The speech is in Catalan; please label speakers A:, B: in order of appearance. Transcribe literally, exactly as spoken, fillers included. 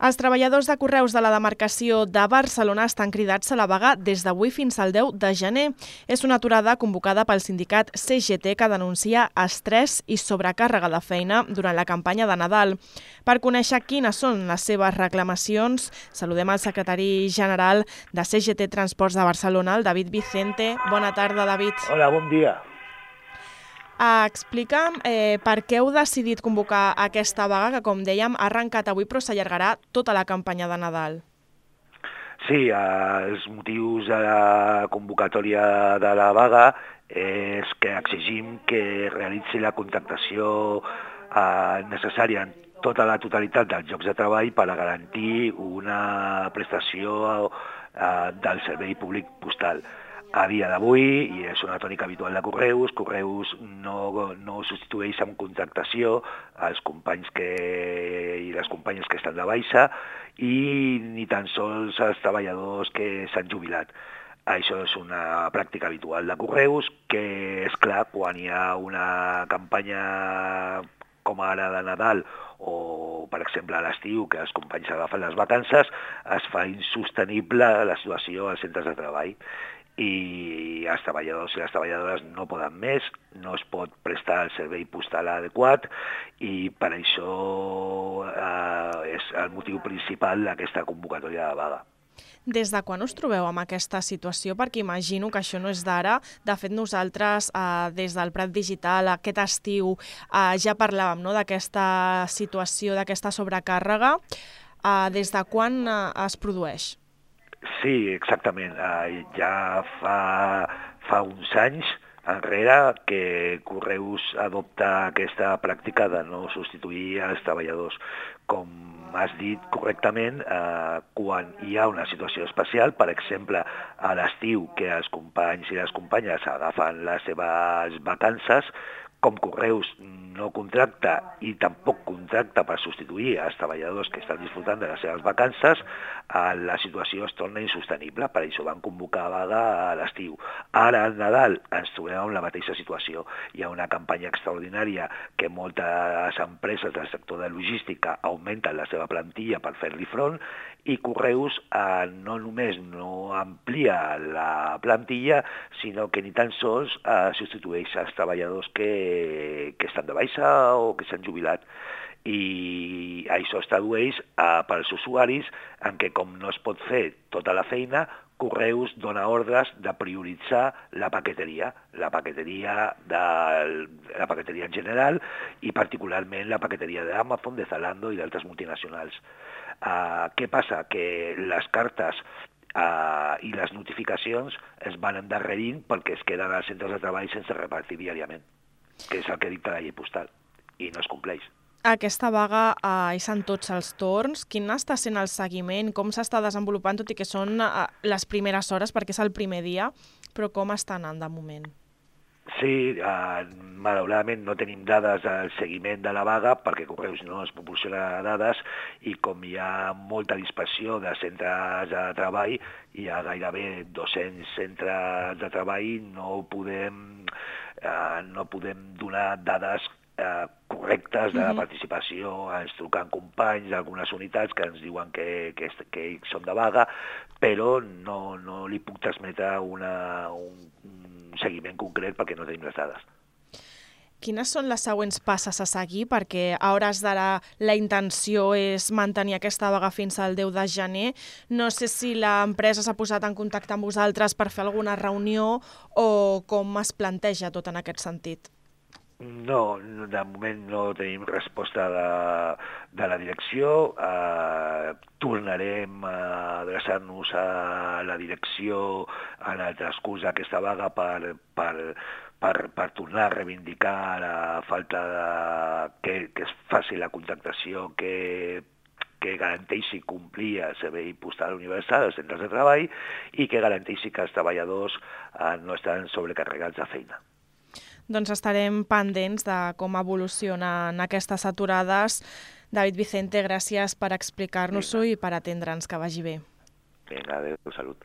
A: Els treballadors de Correus de la demarcació de Barcelona estan cridats a la vaga des d'avui fins al deu de gener. És una aturada convocada pel sindicat C G T que denuncia estrès i sobrecàrrega de feina durant la campanya de Nadal. Per conèixer quines són les seves reclamacions, saludem al secretari general de C G T Transports de Barcelona, el David Vicente. Bona tarda, David.
B: Hola, bon dia.
A: Uh, explica'm eh, per què heu decidit convocar aquesta vaga que, com dèiem, ha arrencat avui però s'allargarà tota la campanya de Nadal.
B: Sí, eh, els motius de la convocatòria de la vaga és que exigim que realitzi la contractació eh, necessària en tota la totalitat dels llocs de treball per a garantir una prestació eh, del servei públic postal. A dia d'avui, i és una tònica habitual de Correus, Correus no, no substitueix amb contractació els companys que, i les companyes que estan de baixa i ni tan sols els treballadors que s'han jubilat. Això és una pràctica habitual de Correus que, és clar, quan hi ha una campanya com ara de Nadal o, per exemple, a l'estiu, que els companys agafen les vacances, es fa insostenible la situació als centres de treball. I els treballadors i les treballadores no poden més, no es pot prestar el servei postal adequat i per això eh, és el motiu principal d'aquesta convocatòria de vaga.
A: Des de quan us trobeu amb aquesta situació? Perquè imagino que això no és d'ara. De fet, nosaltres, eh, des del Prat Digital, aquest estiu, eh, ja parlàvem, no?, d'aquesta situació, d'aquesta sobrecàrrega. Eh, des de quan eh, es produeix?
B: Sí, exactament. Uh, ja fa, fa uns anys enrere que Correus adopta aquesta pràctica de no substituir els treballadors. Com has dit correctament, eh, quan hi ha una situació especial, per exemple, a l'estiu, que els companys i les companyes agafen les seves vacances, com Correus no contracta i tampoc contracta per substituir els treballadors que estan disfrutant de les seves vacances, la situació es torna insostenible, per això van convocar vaga a l'estiu. Ara, al Nadal, ens trobem en la mateixa situació. Hi ha una campanya extraordinària que moltes empreses del sector de logística augmenten la seva plantilla per fer-li front i Correus eh, no només no amplia la plantilla, sinó que ni tan sols eh, substitueix els treballadors que, que estan de baixa o que s'han jubilat. I això es tradueix eh, per als usuaris en què, com no es pot fer tota la feina, Correus dona ordres de prioritzar la paqueteria, la paqueteria, de, la paqueteria en general i particularment la paqueteria d'Amazon, de Zalando i d'altres multinacionals. Uh, què passa? Que les cartes uh, i les notificacions es van endarrerint perquè es queden als centres de treball sense repartir diàriament, que és el que dicta la llei postal, i no es compleix.
A: Aquesta vaga eh, és en tots els torns. Quin està sent el seguiment? Com s'està desenvolupant, tot i que són eh, les primeres hores, perquè és el primer dia, però com està anant de moment?
B: Sí, eh, malauradament no tenim dades del seguiment de la vaga perquè Correus no ens proporciona dades i com hi ha molta dispersió de centres de treball, hi ha gairebé dos-cents centres de treball, no podem, eh, no podem donar dades eh, correctes de la participació. Ens truquen companys d'algunes unitats que ens diuen que, que, que són de vaga, però no, no li puc transmetre una, un, un seguiment concret perquè no tenim les dades.
A: Quines són les següents passes a seguir? Perquè a hores d'ara la intenció és mantenir aquesta vaga fins al deu de gener. No sé si l'empresa s'ha posat en contacte amb vosaltres per fer alguna reunió o com es planteja tot en aquest sentit.
B: No, de moment no tenim resposta de, de la direcció. Eh, tornarem a adreçar-nos a la direcció en el transcurs d'aquesta vaga per, per, per, per tornar a reivindicar la falta de que, que es faci la contractació que que garanteixi complir el servei postal universal als centres de treball i que garanteixi que els treballadors eh, no estan sobrecarregats de feina.
A: Doncs estarem pendents de com evolucionen aquestes aturades. David Vicente, gràcies per explicar-nos-ho i per atendre'ns. Que vagi bé.
B: Vinga, adéu, salut.